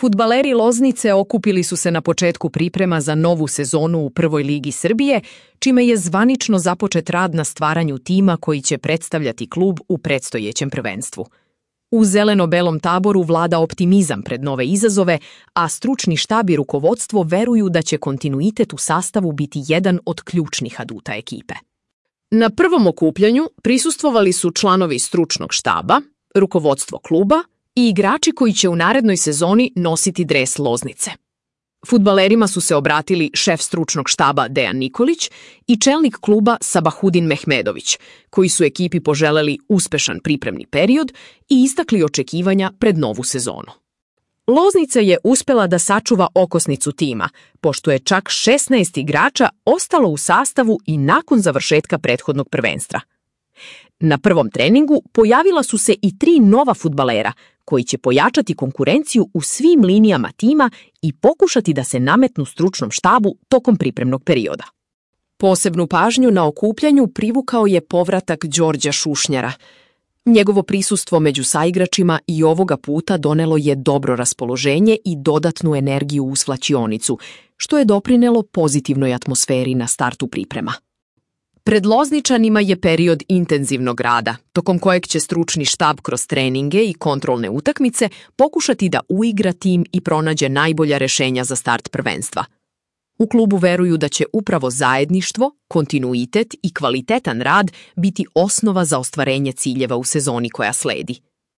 Fudbaleri Loznice okupili su se na početku priprema za novu sezonu u Prvoj ligi Srbije, čime je zvanično započet rad na stvaranju tima koji će predstavljati klub u predstojećem prvenstvu. U zeleno-belom taboru vlada optimizam pred nove izazove, a stručni štab i rukovodstvo veruju da će kontinuitet u sastavu biti jedan od ključnih aduta ekipe. Na prvom okupljanju prisustvovali su članovi stručnog štaba, rukovodstvo kluba i igrači koji će u narednoj sezoni nositi dres Loznice. Fudbalerima su se obratili šef stručnog štaba Dejan Nikolić i čelnik kluba Sabahudin Mehmedović, koji su ekipi poželeli uspešan pripremni period i istakli očekivanja pred novu sezonu. Loznica je uspela da sačuva okosnicu tima, pošto je čak 16 igrača ostalo u sastavu i nakon završetka prethodnog prvenstva. Na prvom treningu pojavila su se i 3 nova fudbalera, koji će pojačati konkurenciju u svim linijama tima i pokušati da se nametnu stručnom štabu tokom pripremnog perioda. Posebnu pažnju na okupljanju privukao je povratak Đorđa Šušnjara. Njegovo prisustvo među saigračima i ovoga puta donelo je dobro raspoloženje i dodatnu energiju u svlačionicu, što je doprinelo pozitivnoj atmosferi na startu priprema. Pred Lozničanima je period intenzivnog rada, tokom kojeg će stručni štab kroz treninge i kontrolne utakmice pokušati da uigra tim i pronađe najbolja rešenja za start prvenstva. U klubu veruju da će upravo zajedništvo, kontinuitet i kvalitetan rad biti osnova za ostvarenje ciljeva u sezoni koja sledi.